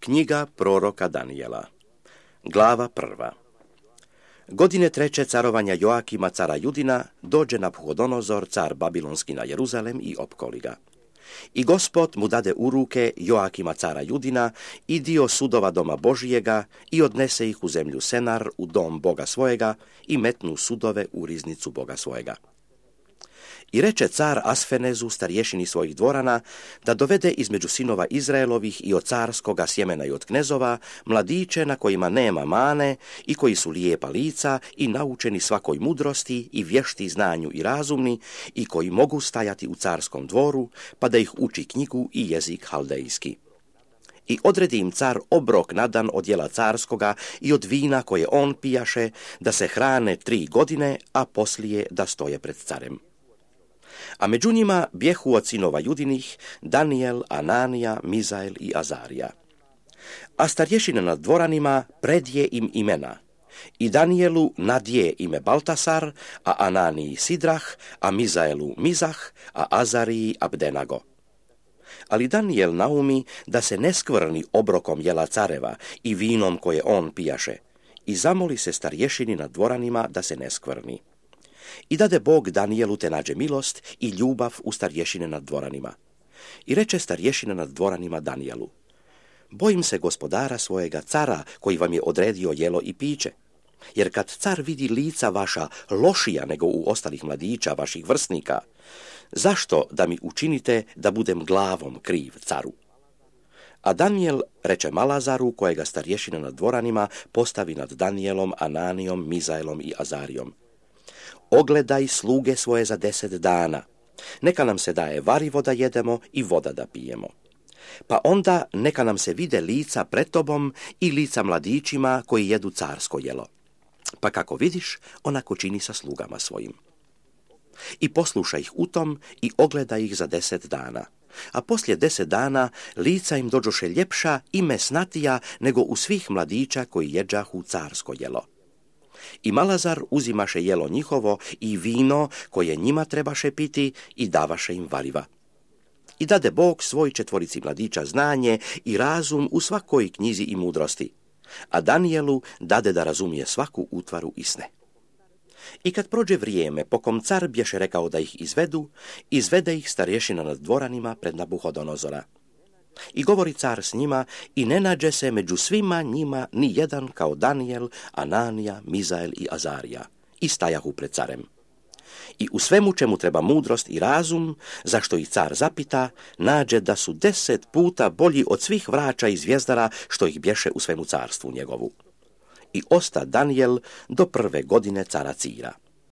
Knjiga proroka Danijela. Glava 1. Godine 3. carovanja Joakima, cara Judina, dođe Nabuhodonozor, car Babilonski, na Jeruzalem i opkoli ga. I Gospod mu dade u ruke Joakima, cara Judina, i dio sudova doma Božijega, i odnese ih u zemlju Senar, u dom Boga svojega, i metnu sudove u riznicu Boga svojega. I reče car Asfenezu, starješini svojih dvorana, da dovede između sinova Izraelovih i od carskoga sjemena i od knezova mladiće na kojima nema mane i koji su lijepa lica i naučeni svakoj mudrosti i vješti znanju i razumni i koji mogu stajati u carskom dvoru, pa da ih uči knjigu i jezik haldejski. I odredi im car obrok na dan od jela carskoga i od vina koje on pijaše, da se hrane 3 godine, a poslije da stoje pred carem. A među njima bjehu od sinova Judinih Danijel, Ananija, Mizael i Azarija. A starješine nad dvoranima predje im imena. I Danijelu nadje ime Baltasar, a Ananiji Sidrah, a Mizaelu Mizah, a Azariji Abdenago. Ali Danijel naumi da se ne skvrni obrokom jela careva i vinom koje on pijaše, i zamoli se starješini nad dvoranima da se ne skvrni. I dade Bog Danijelu te nađe milost i ljubav u starješine nad dvoranima. I reče starješine nad dvoranima Danijelu: bojim se gospodara svojega cara koji vam je odredio jelo i piće. Jer kad car vidi lica vaša lošija nego u ostalih mladića vaših vrstnika, zašto da mi učinite da budem glavom kriv caru? A Danijel reče Malazaru, kojega starješina nad dvoranima postavi nad Danijelom, Ananijom, Mizaelom i Azarijom: ogledaj sluge svoje za 10 dana. Neka nam se daje varivo da jedemo i voda da pijemo. Pa onda neka nam se vide lica pred tobom i lica mladićima koji jedu carsko jelo. Pa kako vidiš, onako čini sa slugama svojim. I poslušaj ih u tom i ogledaj ih za 10 dana. A poslije 10 dana lica im dođoše ljepša i mesnatija nego u svih mladića koji jeđahu carsko jelo. I Malazar uzimaše jelo njihovo i vino koje njima trebaše piti i davaše im variva. I dade Bog svoj 4 mladića znanje i razum u svakoj knjizi i mudrosti, a Danijelu dade da razumije svaku utvaru i sne. I kad prođe vrijeme, po kom car bješe rekao da ih izvedu, izvede ih starješina nad dvoranima pred Nabuhodonozora. I govori car s njima i ne nađe se među svima njima ni jedan kao Danijel, Ananija, Mizael i Azarija, i stajahu pred carem. I u svemu čemu treba mudrost i razum, zašto ih car zapita, nađe da su 10 puta bolji od svih vrača i zvijezdara što ih bješe u svemu carstvu njegovu. I osta Danijel do 1. godine cara Cira.